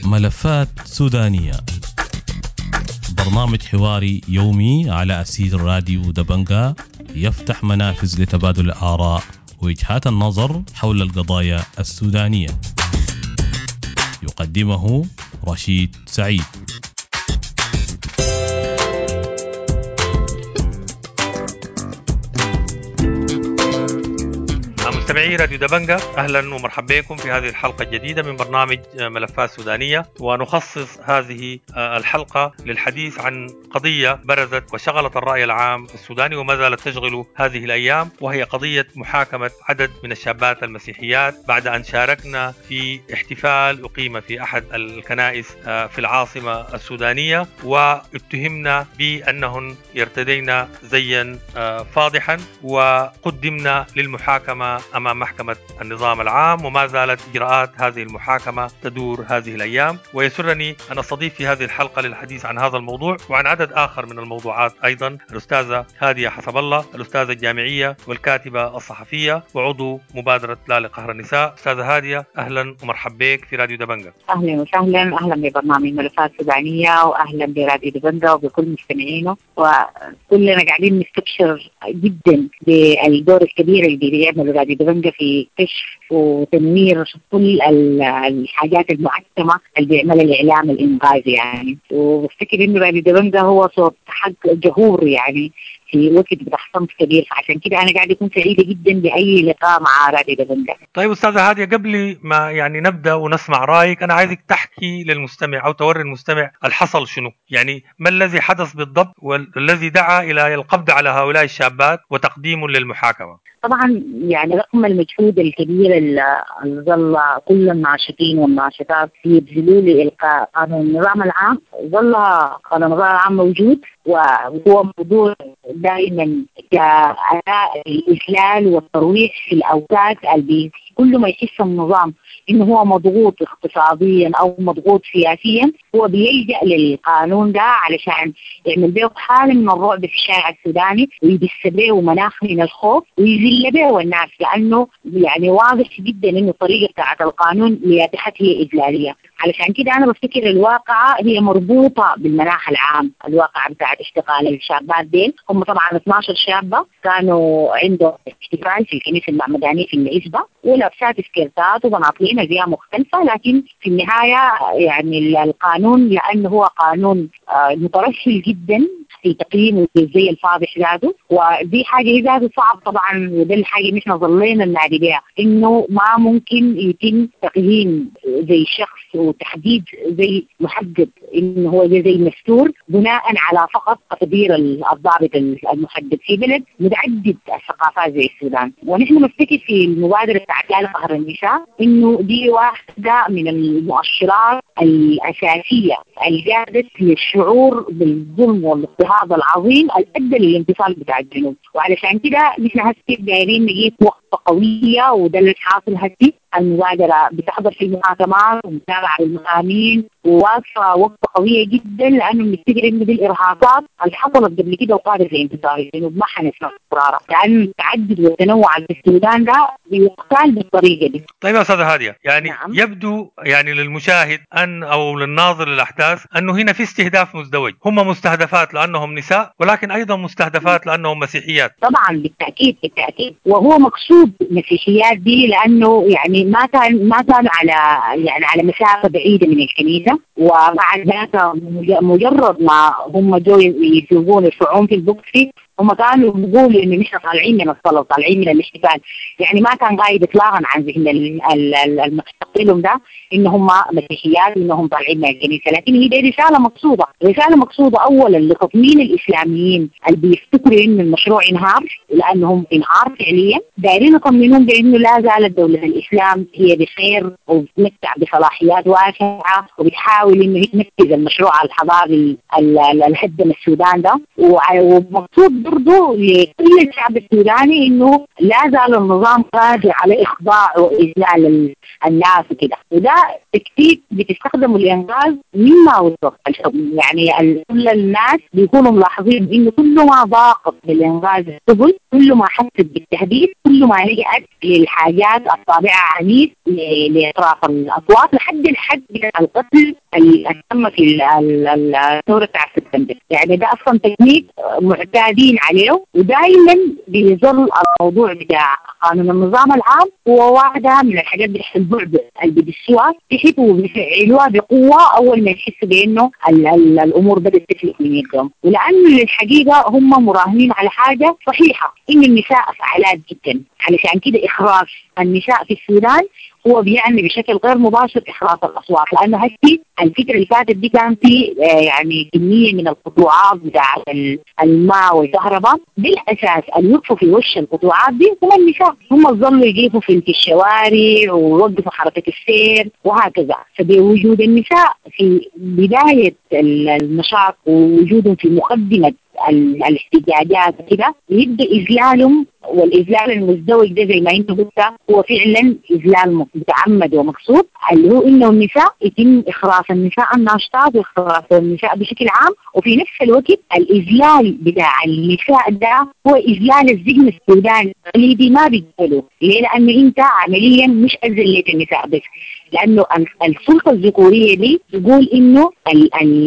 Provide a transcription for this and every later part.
ملفات سودانية، برنامج حواري يومي على أثير راديو دبنجا، يفتح منافذ لتبادل الآراء ووجهات النظر حول القضايا السودانية. يقدمه رشيد سعيد. مستمعي راديو دبنجا، أهلا ومرحبا بكم في هذه الحلقة الجديدة من برنامج ملفات سودانية. ونخصص هذه الحلقة للحديث عن قضية برزت وشغلت الرأي العام السوداني وما زالت تشغل هذه الأيام، وهي قضية محاكمة عدد من الشابات المسيحيات بعد أن شاركنا في احتفال أقيم في أحد الكنائس في العاصمة السودانية، واتهمنا بأنهن يرتدين زيا فاضحا، وقدمنا للمحاكمة أمام محكمة النظام العام، وما زالت إجراءات هذه المحاكمة تدور هذه الأيام. ويسرني أن أستضيف في هذه الحلقة للحديث عن هذا الموضوع وعن عدد آخر من الموضوعات أيضا الأستاذة هادية حسب الله، الأستاذة الجامعية والكاتبة الصحفية وعضو مبادرة لا لقهر النساء. أستاذة هادية، أهلا ومرحبا بك في راديو دبنجا. أهلا وسهلا، أهلا ببرنامج ملفات سودانية وأهلا براديو دبنجا وبكل مستمعينه. وكلنا قاعدين نستبشر جدا بالدور الكبير اللي بيعمله راديو دبنجا في كشف وتنوير كل الحاجات المعتمة اللي بيعملها الإعلام الإنقاذي يعني. وبفتكر إنه راديو دبنجا هو صوت حق جهور يعني في وقت بتاع صمت كبير، فعشان كده أنا قاعدة أكون سعيدة جدا بأي لقاء مع راديو دبنجا. طيب أستاذة هادية، قبل ما يعني نبدأ ونسمع رأيك، أنا عايزك تحكي للمستمع أو توري المستمع الحصل شنو، يعني ما الذي حدث بالضبط والذي دعا إلى القبض على هؤلاء الشابات وتقديم للمحاكمة. طبعا يعني رغم المجهود الكبير اللي ظل كل الناشطين والناشطات يبذلوه لإلقاء قانون النظام العام، ظل قانون النظام العام موجود، وهو موضوع دائما كأداة الإذلال والترويح في الأوقات اللي كل ما يحس النظام إنه هو مضغوط اقتصاديا أو مضغوط سياسيا هو بيلجأ للقانون ده علشان يعمل به حالة من الرعب في الشارع السوداني، ويدس به مناخ من الخوف ويذل به الناس، لأنه يعني واضح جدا إنه الطريقة بتاعت القانون لياتحت هي إذلالية. علشان كده أنا بفتكر الواقعة هي مربوطة بالمناخ العام، الواقعة بتاعت اشتغال الشابات ديل. هم طبعا 12 شابة كانوا عندهم احتفال في الكنيسة المعمدانية في العزبة، ولابسات سكيرتات وبناطيل أزياء مختلفة، لكن في النهاية يعني القانون لأنه هو قانون مترسل جدا في تقييمه زي الفاضح ذاته، ودي حاجة هي ذاته صعب طبعا، وده الحاجة اللي احنا ظلينا ننادي بها، إنه ما ممكن يتم تقييم زي شخص وتحديد زي محدد إنه هو زي مستور بناء على فقط تقدير الضابط المحدد في بلد متعدد الثقافات زي السودان. ونحن نفتكر في المبادرة بتاعت لا لقهر النساء إنه دي واحدة من المؤشرات الأساسية اللي قادت للشعور بالظلم والاضطهاد العظيم اللي أدى للانفصال بتاع الجنوب. وعلشان كده نحن هسه دايرين نجيب وقفة قوية، وده اللي حاصل هسه. المبادرة بتحضر في المحاكمات ومتابعة المحامين وواقفة وقفة قوية جدا، لأنه بنفتكر إنه دي الإرهاصات اللي حصلت قبل كده وقادت لانتصار الجنوب ما حنسمع قرارها، لأن التعدد والتنوع في السودان ده بيقتال بالطريقة دي. طيب يا أستاذة هادية، يعني نعم. يبدو يعني للمشاهد أن أو للناظر للأحداث أنه هنا في استهداف مزدوج، هم مستهدفات لأنهم نساء، ولكن أيضا مستهدفات لأنهم مسيحيات. طبعا بالتأكيد بالتأكيد، وهو مقصود مسيحيات دي لأنه يعني ما كانوا على يعني على مسافة بعيدة من الكنيسة، ومع ذلك مجرد ما هم جو يسوقون يرفعون في البوكسي هم كانوا بيقولوا إنه نحن طالعين من الصلاة وطالعين من الاحتفال، يعني ما كان غايب إطلاقا عن ذهن المعتقلين ده إن هم مسيحيات وإنهم طالعين من الكنيسة. لكن هي دي رسالة مقصودة، رسالة مقصودة أولا لتطمين الإسلاميين اللي بيفتكروا إن المشروع انهار، لأنهم انهار فعليا، دايرين يطمنون بإنه لا زالت دولة الإسلام هي بخير وبتمتع بصلاحيات واسعة وبتحاول إنه تنفذ المشروع الحضاري اللي هدم السودان ده. ومقصود برضه لكل الشعب السوداني إنه لا زال النظام قادر على إخضاع وإذلال الناس وكده. وده تكتيك بتستخدمه الإنقاذ مما وصف الحكم. يعني كل الناس بيكونوا ملاحظين إنه كل ما ضاقت بالإنقاذ السبل، كل ما حست بالتهديد، كل ما لجأت للحاجات الطابعة عنيف لإطراف الأصوات لحد الحد القتل اللي تم في الثورة بتاع سبتمبر. يعني ده أصلا تكنيك معتادين عليه، ودائما بيظل الموضوع بتاع قانون النظام العام هو واحدة من الحاجات البعد اللي بيدسوها تحت وبيفعلوها بقوة أول ما يحسوا بأنه الأمور بدأت تفلت من يدهم. ولأنه الحقيقة هم مراهنين على حاجة صحيحة، إن النساء فعالات جدا، علشان كده إخراج النساء في السودان هو بيعني بشكل غير مباشر إخراج الأصوات. لأنه هسي الفترة اللي فاتت دي كان في يعني كمية من القطوعات بتاعة الماء والكهرباء، بالأساس اللي وقفوا في وش القطوعات دي هم النساء، هم ظلوا يقفوا في الشوارع ووقفوا حركة السير وهكذا. فبوجود النساء في بداية النشاط ووجودهم في مقدمة الاحتجاجات كده يبدأ إذلالهم، والإذلال المزدوج ده زي ما انت قلت هو فعلا إذلال متعمد ومقصود، اللي هو إنه النساء يتم إخراس النساء الناشطات وإخراس النساء بشكل عام، وفي نفس الوقت الإذلال بتاع النساء ده هو إذلال الذهن السوداني التقليدي ما بيقبله. ليه؟ لأنه أنت عمليا مش أذلت النساء بس، لأنه السلطة الذكورية دي تقول إنه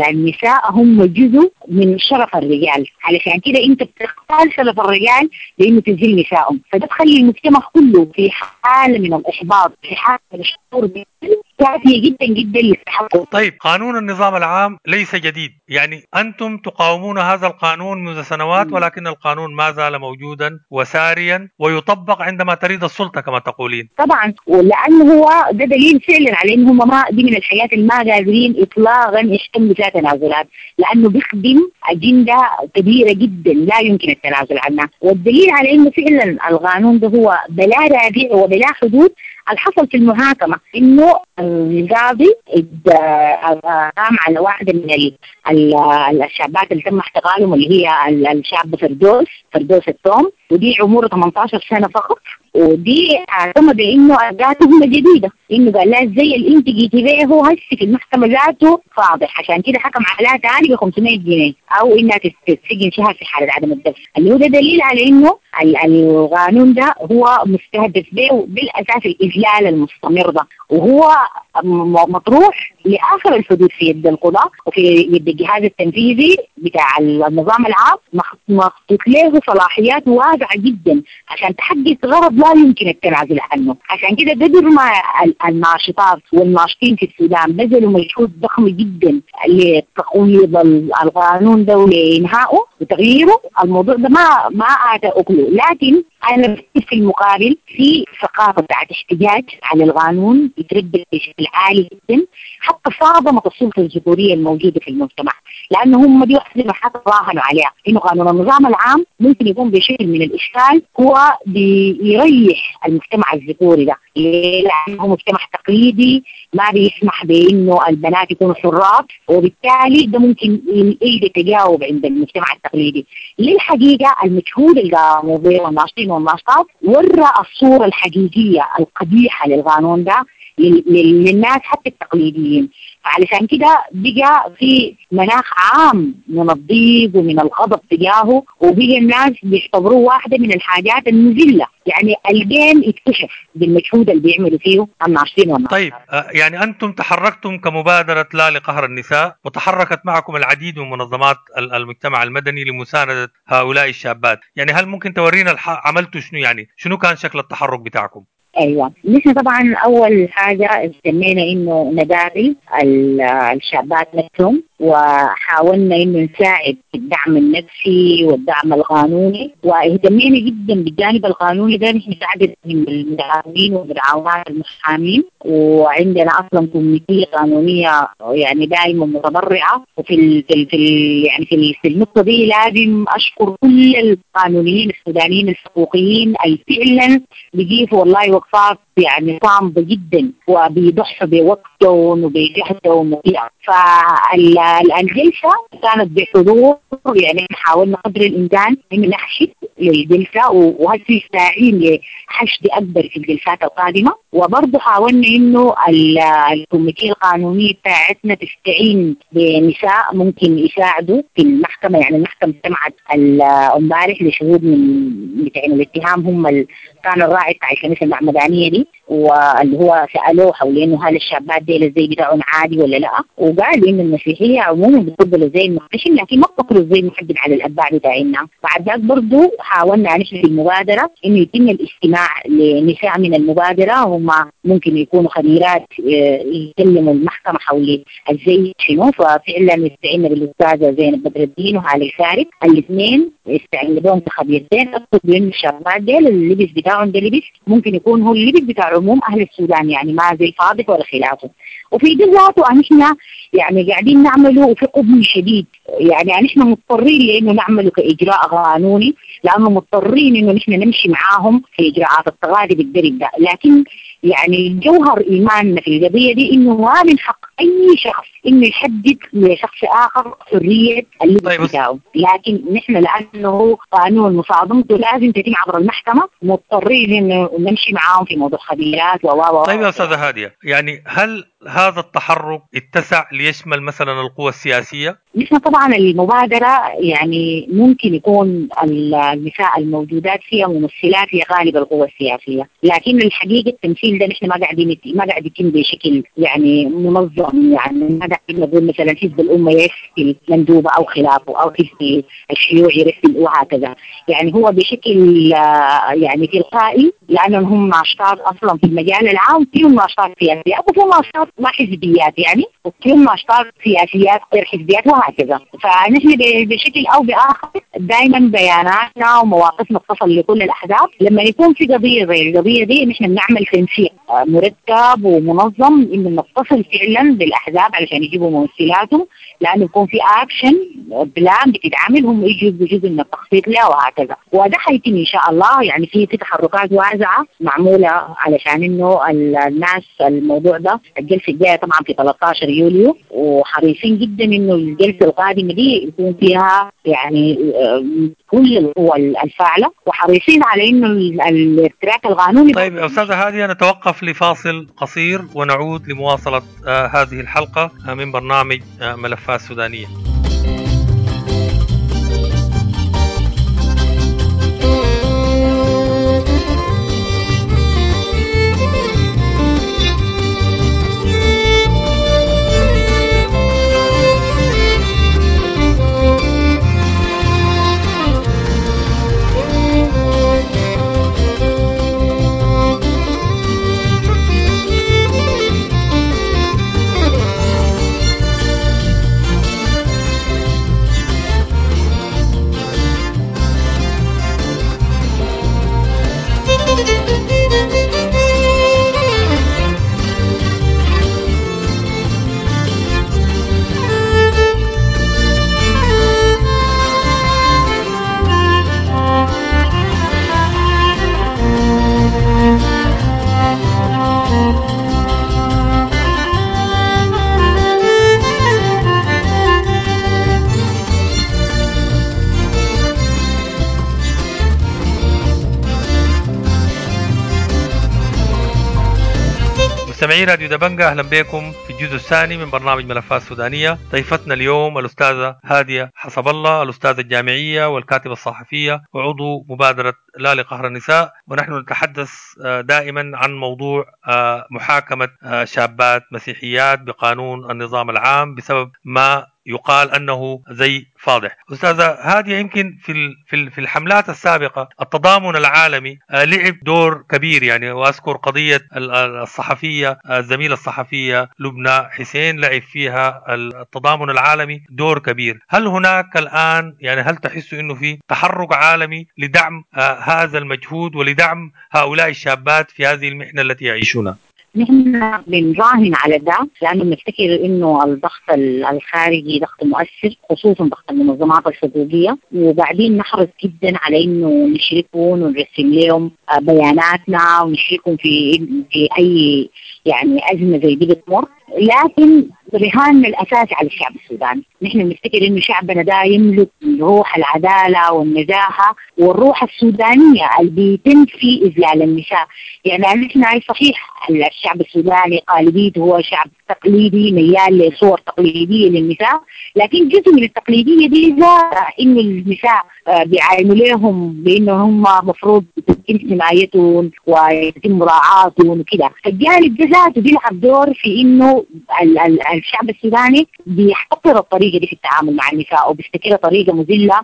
النساء هم جزء من شرف الرجال، علشان كده أنت بتختار شرف الرجال لأنه تذل نسائهم، فده تخلي المجتمع كله في حالة من الإحباط، في حالة من الشعور كافية جدا جدا للتحقق. طيب، قانون النظام العام ليس جديد، يعني أنتم تقاومون هذا القانون منذ سنوات، ولكن القانون ما زال موجودا وساريا ويطبق عندما تريد السلطة كما تقولين. طبعا، ولأنه هو ده دليل فعلا على أنهم ما دي من الحياة اللي ما قادرين إطلاقا يحتملوا فيها تنازلات، لأنه بيخدم أجندة كبيرة جدا لا يمكن التنازل عنها. والدليل على أنه فعلا القانون ده هو بلا رادع وبلا حدود الحصل في المحاكمة، إنه القاضي قام على واحدة من الشابات اللي تم احتقالهم اللي هي الشابة فردوس التوم، ودي عمرها 18 سنة فقط، ودي تم بإنه ذاته جديدة، إنه قال لها زي اللي أنت جيتي بيه هو هسه في المحكمة ذاته فاضح، عشان كده حكم عليها ثاني ب 500 جنيه أو إنها تتسجن شهر في حالة عدم الدفع، اللي هو ده دليل على إنه القانون ده هو مستهدف به بالأساس الإذلال المستمر ده، وهو مطروح لآخر الحدود في يد القضاء وفي يد الجهاز التنفيذي بتاع النظام العام، مخطوط له صلاحيات واسعة جدا عشان تحقق غرض لا يمكن التنازل عنه. عشان كده قدر ما الناشطات والناشطين في السودان بذلوا مجهود ضخم جدا لتقويض القانون ده ولإنهائه وتغييره، الموضوع ده ما أعطى أكله. لكن أنا في المقابل في ثقافة بتاعت احتجاج على القانون يتربى بشكل عالي جدا، حتى صادمت السلطة الذكورية الموجودة في المجتمع، لأنه هم دي واحدة من الحاجات راهنوا عليها إنه قانون النظام العام ممكن يكون بشكل من الإشكال هو بيريح المجتمع الذكوري ده، لأنه مجتمع تقليدي ما بيسمح بإنه البنات يكونوا حرات، وبالتالي ده ممكن يلقى تجاوب عند المجتمع التقليدي. للحقيقة المجهود اللي قاموا به الناشطين والناشطات ورى الصورة الحقيقية القبيحة للقانون ده للناس حتى التقليديين، فعلشان كده بقى في مناخ عام من الضيق ومن الغضب تجاهه، وبقى الناس بيعتبروه واحدة من الحاجات المذلة. يعني الجيم اكتشف بالمجهود اللي بيعملوا فيه الناشطين والناشطات. طيب، يعني أنتم تحركتم كمبادرة لا لقهر النساء، وتحركت معكم العديد من منظمات المجتمع المدني لمساندة هؤلاء الشابات، يعني هل ممكن تورينا عملتوا شنو؟ يعني شنو كان شكل التحرك بتاعكم؟ ايوه، نحن طبعا اول حاجه اهتمينا انه نقابل الشابات نفسهم، وحاولنا انه نساعد في الدعم النفسي والدعم القانوني، واهتمينا جدا بالجانب القانوني ده. نحن عدد من المتعاونين والمتعاونات المحامين، وعندنا اصلا كوميتيه قانونيه يعني دائما متبرعه، وفي ال في ال يعني في النقطه دي لازم اشكر كل القانونيين السودانيين الحقوقيين اللي فعلا بيجيبوا والله وقفات يعني صامدة جدا وبيضحوا بوقتهم وبجهدهم. فالجلسة كانت بحضور، يعني حاولنا قدر الإمكان إنه نحشد للجلسة، وهسه ساعين لحشد أكبر في الجلسات القادمة. وبرضه حاولنا إنه ال committee القانونية بتاعتنا تستعين بنساء ممكن يساعدوا في المحكمة. يعني المحكمة سمعت امبارح لشهود من بتاعين الاتهام، هم كان الراعي بتاع الكنيسة المعمدانية دي، واللي هو سألوه حول إنه هل الشابات دي الزي بتاعهم عادي ولا لا، وقال إن المسيحية عموما بتفضل الزي المحتشم لكن ما بتفضل الزي المحدد على الأتباع بتاعنا. بعد ذاك برضه حاولنا نحن في المبادرة إنه يتم الاستماع لنساء من المبادرة، هم ممكن يكونوا خبيرات يكلموا المحكمة حول الزي شنو. ففعلا استعنا بالأستاذة زينب بدر الدين وهالة الفارق، الاثنين استعنا بهم كخبيرتين. أقصد بأن الشابات ديل اللبس بتاعهم ده لبس ممكن يكون هو اللبس بتاع عموم أهل السودان، يعني ما زي فاضح ولا خلافه. وفي ده ذاته نحن يعني قاعدين نعمله وفي قبل شديد، يعني نحن مضطرين لأنه نعمله كإجراء قانوني، لأنه مضطرين إنه نحن نمشي معاهم في إجراءات التغاضي بالدرب ده. لكن يعني جوهر إيماننا في القضية دي إنه ما من حق أي شخص إنه يحدد لشخص آخر حرية اللبس بتاعه، لكن نحن لأنه قانون مصادمته لازم تتم عبر المحكمة، مضطرين إنه نمشي معاهم في موضوع خبيرات و طيب يا أستاذة هادية، يعني هل هذا التحرك اتسع ليشمل مثلا القوى السياسية؟ نحن طبعا المبادرة يعني ممكن يكون النساء الموجودات فيها ممثلات لغالب القوى السياسية، لكن الحقيقة التمثيل ده نحن ما قاعد يتم بشكل يعني منظم. يعني ما قاعدين نقول مثلا حزب الأمة يرسل مندوبة أو خلافه، أو حزب الشيوعي يرسل وهكذا. يعني هو بشكل يعني تلقائي، لأنهم هم ناشطات أصلا في المجال العام، فيهم ناشطات سياسية وفيهم ناشطات ما حزبيات يعني، وفيهم ناشطات سياسيات غير حزبيات وهكذا. فنحن بشكل أو بآخر دائما بياناتنا ومواقفنا تصل لكل الأحزاب. لما يكون في قضية زي القضية دي نحن بنعمل تنسيق مرتب ومنظم إنه نتصل فعلا بالأحزاب علشان يجيبوا ممثلاتهم، لأنه يكون في action plan بتتعمل، هم يجوا بجزء من التخطيط لها وهكذا. وده حيتم إن شاء الله. يعني في تحركات واسعة معمولة علشان إنه الناس الموضوع ده. الجلسة الجاية طبعا في 13 يوليو، وحريصين جدا إنه الجلسة القادمة دي يكون فيها يعني كل القوى الفاعلة، وحريصين على إنه ال track القانوني. طيب يا أستاذة هادية، نتوقف لفاصل قصير ونعود لمواصلة هذه الحلقة من برنامج ملفات سودانية. مستمعي راديو دبنجة، أهلا بكم في الجزء الثاني من برنامج ملفات سودانية. ضيفتنا اليوم الأستاذة هادية حسب الله، الأستاذة الجامعية والكاتبة الصحفية وعضو مبادرة لا لقهر النساء، ونحن نتحدث دائما عن موضوع محاكمة شابات مسيحيات بقانون النظام العام بسبب ما يقال أنه زي فاضح. أستاذة هادية، يمكن في الحملات السابقة التضامن العالمي لعب دور كبير، يعني وأذكر قضية الصحفية الزميلة الصحفية لبنى حسين لعب فيها التضامن العالمي دور كبير. هل هناك الآن يعني هل تحس أنه في تحرك عالمي لدعم هذا المجهود ولدعم هؤلاء الشابات في هذه المحنة التي يعيشونها؟ نحن بنراهن على ده لأنه بنفتكر إنه الضغط الخارجي ضغط مؤثر، خصوصا ضغط المنظمات الحقوقية، وبعدين نحرص جدا على إنه نشركهم ونرسل لهم بياناتنا ونشركهم في أي يعني أزمة زي دي بتمر. لكن رهاننا الأساسي على الشعب السوداني، نحن بنفتكر إنه شعبنا ده يملك روح العدالة والنزاهة والروح السودانية اللي بتنفي إذلال النساء. يعني نحن صحيح الشعب السوداني غالبيته هو شعب تقليدي ميال لصور تقليدية للنساء، لكن جزء من التقليدية دي إنه النساء بيعاينوا لهم بإنه هم مفروض يتم حمايتهم ويتم مراعاتهم وكده. فالجانب ده ذاته بيلعب دور في إنه الشعب السوداني بيحتقر الطريقة دي في التعامل مع النساء وبيفتكرها طريقة مذلة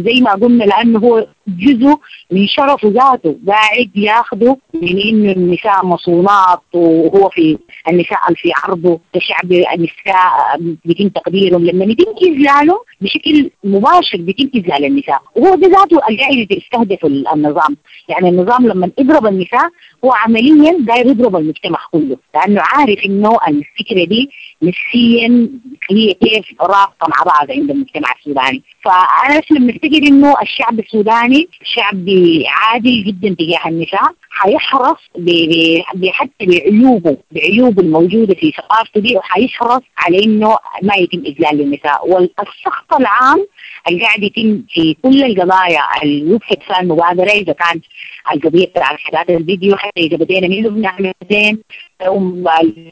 زي ما قلنا، لأنه هو جزء من شرفه ذاته قاعد ياخده من إنه النساء مصونات، وهو في النساء في عرضه كشعب النساء بيتم تقديرهم. لما يتم إذلاله بشكل مباشر بيتم إذلال النساء، وهو ده ذاته اللي قاعد يستهدف النظام. يعني النظام لما يضرب النساء هو عمليا داير يضرب المجتمع كله، لأنه عارف إنه الفكرة دي نفسيا هي كيف رابطة مع بعض عند المجتمع السوداني. فأنا بنفتكر إنه الشعب السوداني شعب عادل جدا تجاه النساء، حيحرص حتى بعيوبه الموجودة في ثقافته دي، وحيحرص على إنه ما يتم إذلال للنساء. والسخط العام اللي قاعد يتم في كل القضايا اللي وقفت فيها المبادرة، إذا كان القضية بتاع حالات الفيديو، حتى إذا بدينا منه بنعمل زين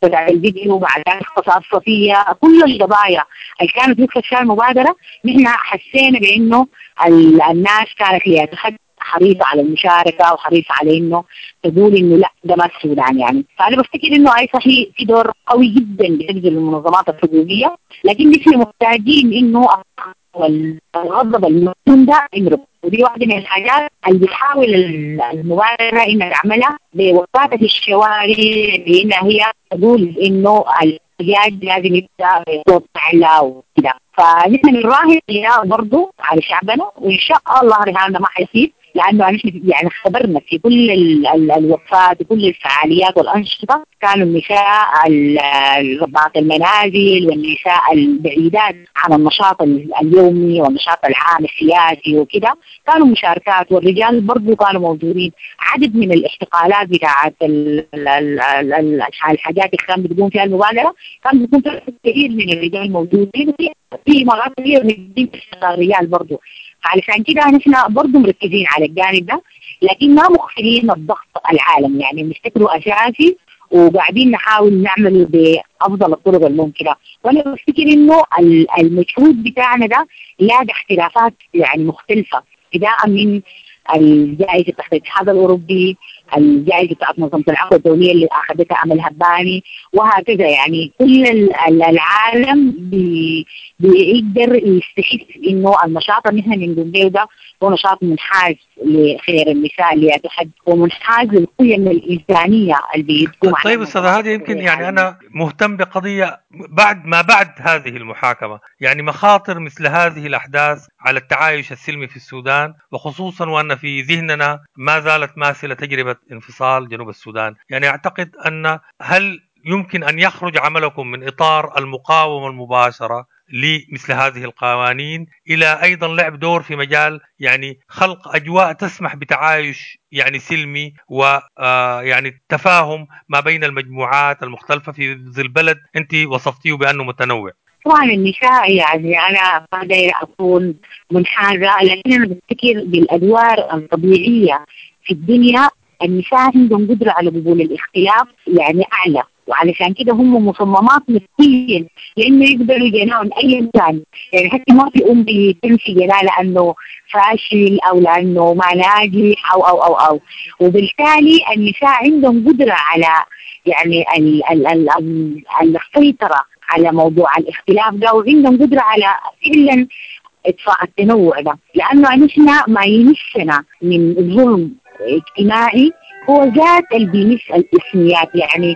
الفيديو بعد اغتصاب صفية، كل القضايا اللي كانت وقفت فيها المبادرة نحن حسينا بإنه الناس كانت هي حريصة على المشاركة وحريصة على إنه تقول إنه لا ده ما السودان يعني. فأنا بفتكر إنه أي صحيح في دور قوي جدا بتبذل المنظمات الحقوقية، لكن نحن محتاجين إنه الغضب المفهوم ده يمرق. ودي واحدة من الحاجات اللي بتحاول المبادرة إنها تعملها بوقفاتها في الشوارع، بإنها هي تقول إنه الاحتجاج لازم يبدأ بصوت أعلى وكده. فنحن بنراهن برضه على شعبنا، وإن شاء الله رهاننا ما حيصير، لأنه نحن يعني خبرنا في كل الوقفات وكل الفعاليات والأنشطة كانوا النساء ربات المنازل والنساء البعيدات عن النشاط اليومي والنشاط العام السياسي وكده كانوا مشاركات، والرجال برضو كانوا موجودين. عدد من الاحتقالات بتاعت الحاجات اللي كان بتقوم فيها المبادرة كان بيكون كثير من الرجال موجودين، في مرات كثير من الرجال برضو. علشان كده نحن برضو مركزين على الجانب ده، لكن ما مغفلين الضغط العالمي، يعني بنفتكره أساسي وقاعدين نحاول نعمله بأفضل الطرق الممكنة. وأنا بفتكر إنه المجهود بتاعنا ده لاقى احترافات يعني مختلفة، ابتداء من الجائزة بتاعت الاتحاد الأوروبي، الجائزة بتاعت منظمة العفو الدولية اللي أخذتها أمل هباني، وهكذا. يعني كل العالم بيقدر يستحس إنه النشاط اللي نحن بنقوم به ده هو نشاط منحاز لخير النساء اللي تحد، ومنحاز للقيم الإنسانية اللي بتقوم. طيب أستاذ هادي، يمكن يعني أنا مهتم بقضية بعد ما بعد هذه المحاكمة، يعني مخاطر مثل هذه الأحداث على التعايش السلمي في السودان، وخصوصا وأن في ذهننا ما زالت ماثلة تجربة انفصال جنوب السودان. يعني أعتقد أن هل يمكن أن يخرج عملكم من إطار المقاومة المباشرة لمثل هذه القوانين إلى أيضا لعب دور في مجال يعني خلق أجواء تسمح بتعايش يعني سلمي ويعني تفاهم ما بين المجموعات المختلفة في ظل بلد أنت وصفتيه بأنه متنوع؟ طبعا النساء يعني أنا ما دايرة أكون منحازة، لكن أنا بفتكر بالأدوار الطبيعية في الدنيا النساء عندهم قدرة على قبول الاختلاف يعني أعلى، وعلشان كده هم مصممات نفسيا لانه يقبلوا جناهم اي كان. يعني حتى ما في ام بتنفي جناه لانه فاشل او لانه ما ناجح او او او او، وبالتالي النساء عندهم قدره على يعني السيطره على موضوع الاختلاف ده، وعندهم قدره على فعلا اطفاء التنوع ده، لانه نحن ما يمسنا من ظلم اجتماعي هو ذات اللي بيمس الاسميات. يعني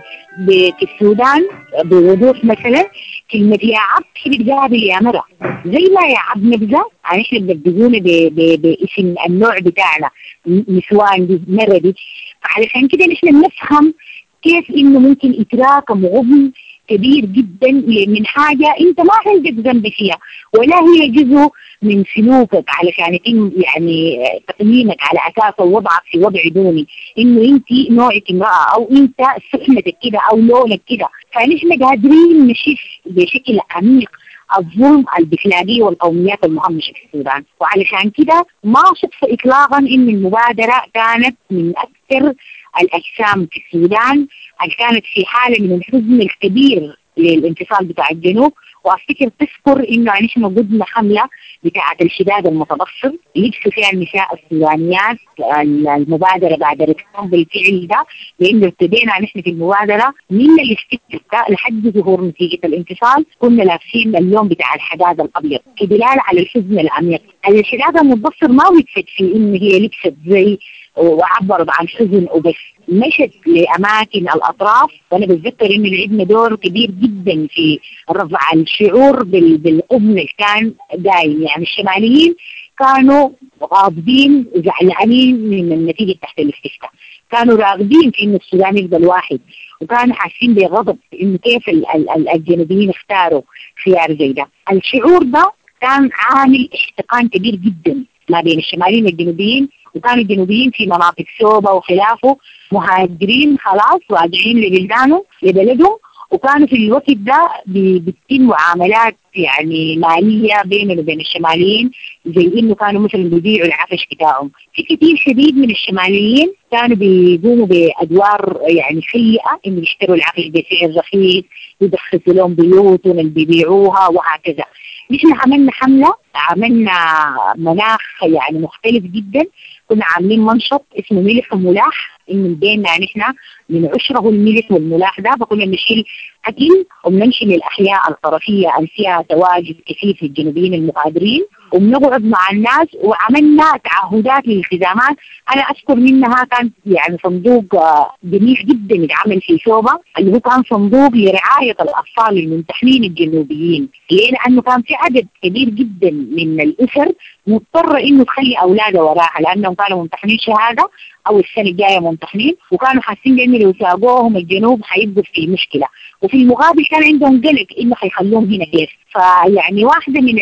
في السودان بوضوح مثلا كلمة يا عبد بتقابل يا مرة، زي ما يا عبد نبذة يعني احنا بنبذونا باسم النوع بتاعنا نسوان دي مرة دي. فعلشان كده نحن بنفهم كيف إنه ممكن يتراكم غبن كبير جدا من حاجة أنت ما عندك ذنب فيها ولا هي جزء من سلوكك علشان يتم يعني تقييمك على أساس وضعك في وضع دوني، إنه أنت نوعك امرأة أو أنت سحنتك كده أو لونك كده. فنحن قادرين نشوف بشكل عميق الظلم البتلاقيه والقوميات المهمشة في السودان، وعلشان كده ما صدفة إطلاقا إن المبادرة كانت من أكثر الأجسام في السودان اللي كانت في حالة من الحزن الكبير للانفصال بتاع الجنوب. وافتكر تذكر انه نحن قدنا حمله بتاعه الشداد المتبصر لبسوا فيها النساء السودانيات المبادرة بادرتهم بالفعل ده، لانه ابتدينا نحن في المبادرة من الاستفتاء لحد ظهور نتيجة الانفصال كنا لابسين اللون بتاع الحداد الابيض كدلاله على الحزن العميق. الشداد المتبصر ما وقفت في انه هي لبست زي وعبرت عن حزن وبس، مشت لاماكن الاطراف. وانا بتذكر انه لعبنا دور كبير جدا في رفع الشعور بالغبن اللي كان دايم. يعني الشماليين كانوا غاضبين وزعلانين من النتيجة تحت الاستفتاء، كانوا راغبين في انه السودان يفضل واحد، وكانوا حاسين بغضب انه كيف الجنوبيين اختاروا خيار زي ده. الشعور ده كان عامل احتقان كبير جدا ما بين الشماليين والجنوبيين، وكانوا الجنوبيين في مناطق سوبا وخلافه مهاجرين خلاص راجعين لبلدانهم لبلدهم، وكانوا في الوقت ده بتتم معاملات يعني مالية بينهم وبين الشماليين، زي انه كانوا مثلا بيبيعوا العفش بتاعهم. في كثير شديد من الشماليين كانوا بيقوموا بادوار يعني سيئة، انه يشتروا العفش بسعر رخيص، يدخلوا لهم بيوتهم اللي بيبيعوها وهكذا. نحن عملنا حملة، عملنا مناخ يعني مختلف جدا، كنا عاملين منشط اسمه ملح وملاح، انه بيننا نحن من عشرة الملح والملاح ده، فكنا بنشيل اكل وبنمشي للاحياء الطرفيه اللي فيها تواجد كثير في الجنوبيين المغادرين، وبنقعد مع الناس وعملنا تعهدات للالتزامات. انا اذكر منها كان يعني صندوق جميل جدا اتعمل في شوبة، اللي هو كان صندوق لرعاية الاطفال الممتحنين الجنوبيين. ليه؟ لانه كان في عدد كبير جدا من الاسر مضطرة انه تخلي اولادها وراها، لانهم كانوا ممتحنين شهادة او السنة الجاية ممتحنين، وكانوا حاسين بانه لو ساقوهم الجنوب حيبقوا في مشكلة، وفي المقابل كان عندهم قلق انه حيخلوهم هنا كيف. فيعني واحدة من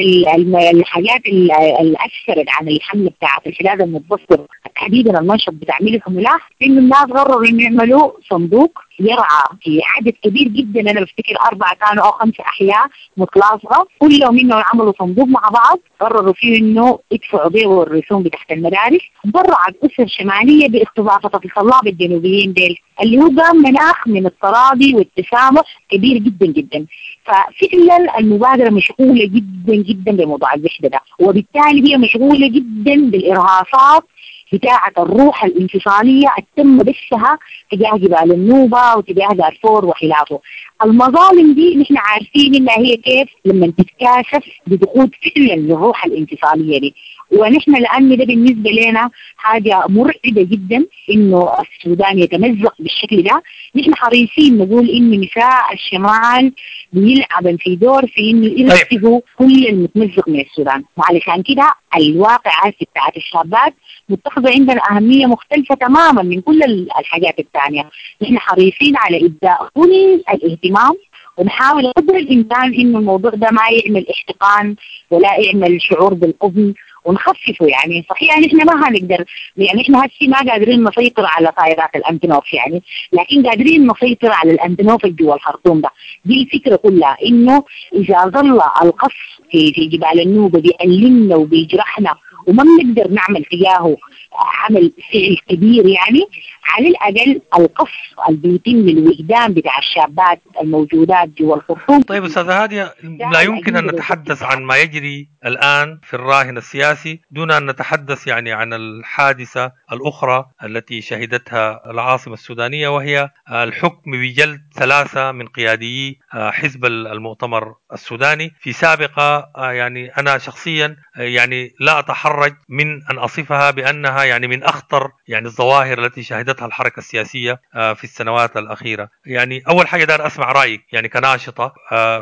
الحاجات اللي اثرت عن الحملة بتاعت الحداد المتبصر تحديدا المنشط بتاع ملح وملاح، انه الناس قرروا انه يعملوا صندوق يرعى في عدد كبير جدا، انا بفتكر 4 كانوا او 5 احياء متلاصقه، كلهم انه عملوا صندوق مع بعض قرروا فيه انه يدفعوا بيه الرسوم بتاعت المدارس. برعت اسر شمالية باستضافه الطلاب الجنوبيين ديل، اللي هو قام مناخ من التراضي والتسامح كبير جدا جدا. ففعلا المبادرة مشغولة جدا جدا بموضوع الوحدة ده، وبالتالي هي مشغولة جدا بالارهاصات بتاعة الروح الانفصالية التم بثها تجاه جبال النوبة وتجاه دارفور وخلافه. المظالم دي نحن عارفين انها هي كيف لما تتكاثف بدخول فعلا للروح الانفصالية دي، ونحن لأن ده بالنسبة لنا حاجة مرعبة جدا انه السودان يتمزق بالشكل ده. نحن حريصين نقول ان نساء الشمال بيلعبن في دور في انه يرتبوا كل المتمزق من السودان، وعلشان كده الواقعة بتاعت الشابات متخذة عندنا أهمية مختلفة تماما من كل الحاجات الثانية. نحن حريصين على إبداء كل الاهتمام، ونحاول قدر الإمكان إنه الموضوع ده ما يعمل احتقان ولا يعمل شعور بالقبل، ونخففه. يعني صحيح نحن ما هنقدر، يعني نحن هسي ما قادرين نسيطر على طائرات الأنتنوف يعني، لكن قادرين نسيطر على الأنتنوف اللي جوا الخرطوم ده. دي الفكرة كلها، إنه إذا ظل القصف في جبال النوبة بيألمنا وبيجرحنا وما بنقدر نعمل تجاهه عمل فعل كبير، يعني على الأقل القصف اللي بيتم للوجدان بتاع الشابات الموجودات جوا الخرطوم. طيب أستاذة هادية، لا يمكن أن نتحدث عن ما يجري الآن في الراهن السياسي دون أن نتحدث يعني عن الحادثة الأخرى التي شهدتها العاصمة السودانية، وهي الحكم بجلد 3 من قياديي حزب المؤتمر السوداني في سابقة. يعني أنا شخصيا يعني لا أتحرج من أن أصفها بأنها يعني من أخطر يعني الظواهر التي شهدتها الحركة السياسية في السنوات الأخيرة. يعني أول حاجة دار أسمع رأيك يعني كناشطة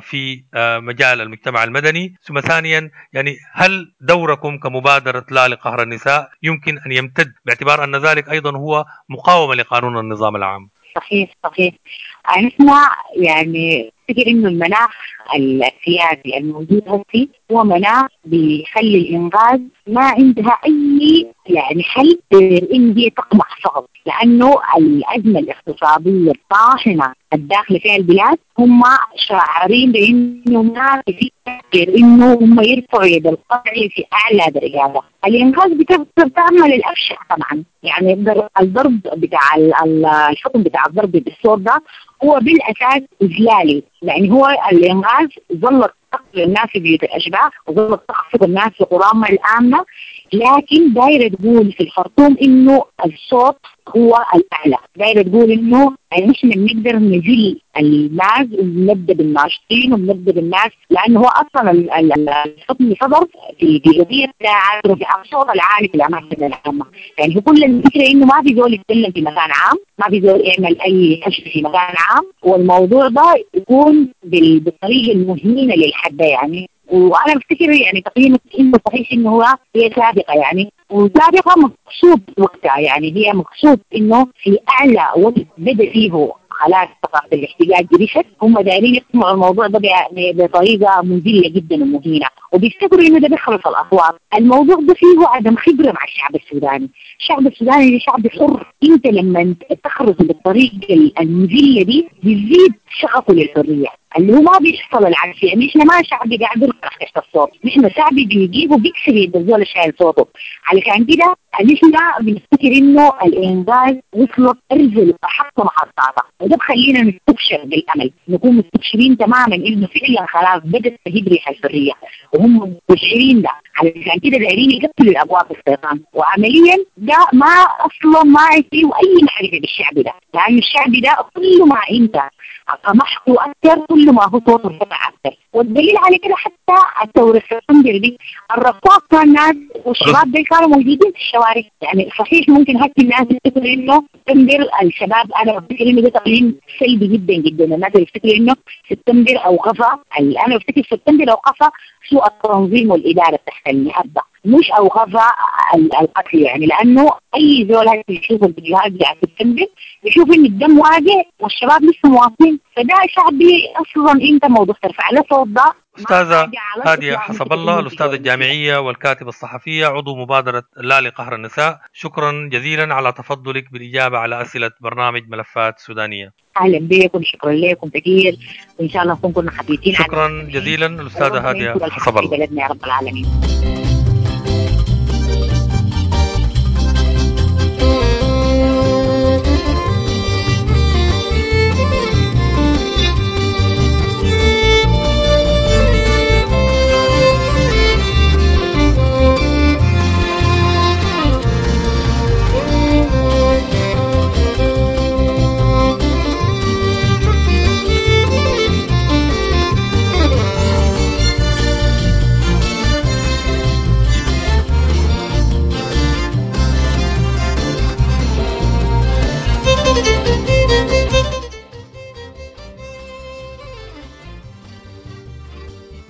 في مجال المجتمع المدني، ثم ثانيا يعني هل دوركم كمبادرة لا لقهر النساء يمكن أن يمتد باعتبار أن ذلك أيضا هو مقاومة لقانون النظام العام؟ صحيح صحيح. نحن يعني افتكر انه المناخ السياسي الموجود هسي هو مناخ بيخلي الانقاذ ما عندها اي يعني حل غير ان هي تقمع فقط، لانه الازمة الاقتصادية الطاحنه الداخلة فيها البلاد هم شاعرين بانه ما في غير انه هم يرفعوا يد القطع في اعلى درجاتها. الانقاذ بتقدر تعمل الابشع طبعا، يعني الضرب بتاع الحكم بتاع الضرب بالصوت ده هو بالاساس اذلالي، يعني هو الانقاذ ظلت تقتل الناس في بيوت الاشباح وظلت تخفض الناس في قرامها الامنة، لكن دايرة تقول في الخرطوم انه الصوت هو الاعلى، دايرة تقول انه نحن بنقدر نزيل الناس وبنبدا بالناشطين وبنبدا بالناس، لانه هو اصلا الحكم صدر في قضية بتاع رفع الصوت العالي في الاماكن العامة، يعني هو كل الفكرة انه ما في زول يتكلم في مكان عام، ما في زول يعمل اي حشد في مكان عام، والموضوع ده يكون بالطريقة المهينه للحد ده يعني. وانا بفتكر يعني تقييمك انه صحيح انه هو هي سابقه يعني، وسابقه مقصود وقتها، يعني هي مقصود انه في اعلى وقت بدا فيه خلاص ثقافة الاحتجاج رشت، هم دايرين يقمعوا الموضوع ده بطريقة مذلة جدا ومهينه، وبيفتكروا انه ده بيخلص الاصوات. الموضوع ده فيه عدم خبره مع الشعب السوداني، الشعب السوداني ده شعب حر، انت لما تخرج بالطريقة المذلة دي بيزيد شغفه للحرية، اللي هو ما بيحصل العكس. يعني احنا ما شعب قاعد يركح تحت الصوت، نحن شعب بيجيب وبيكسر يد الزول شايل صوته. علشان كده نحن بنفتكر انه الانقاذ وصلت ارزل احط محطاتها، وده بخلينا نستبشر بالامل، نكون مستبشرين تماما انه فعلا خلاص بدات تهب ريح الحرية، وهم مستشعرين ده. علشان كده دايرين يقفلوا الابواب الشيطان، وعمليا ده ما اصلا ما فيه اي معرفة بالشعب ده، لانه الشعب ده كل ما انت قمحته اكثر كل ما هو صوته ارتفع اكثر. والدليل على كده حتى الثورة سبتمبر دي الرصاص كان الناس والشباب دي كانوا موجودين في الشوارع. يعني صحيح ممكن هسه الناس تفتكر انه سبتمبر الشباب، انا بفتكر انه ده تقييم سلبي جدا جدا، الناس بتفتكر انه سبتمبر اوقفها، انا بفتكر سبتمبر اوقفها سوء التنظيم والادارة تحت النهضة، مش اوقفها القتل يعني، لانه اي زول هسه يشوف الفيديوهات بتاعت سبتمبر يشوف ان الدم واقع والشباب لسه مواصلين، فده شعبي اصلا انت موضوع ترفع له صوت ده. أستاذة هادية حسب الله، الأستاذة الجامعية والكاتبة الصحفية، عضو مبادرة لا لقهر النساء، شكرا جزيلا على تفضلك بالإجابة على أسئلة برنامج ملفات سودانية. أهلا بكم، شكرا لكم كثير، وإن شاء الله نكون كنا حبيتين. شكرا جزيلا الأستاذة هادية حسب الله. بلدنا يا رب العالمين.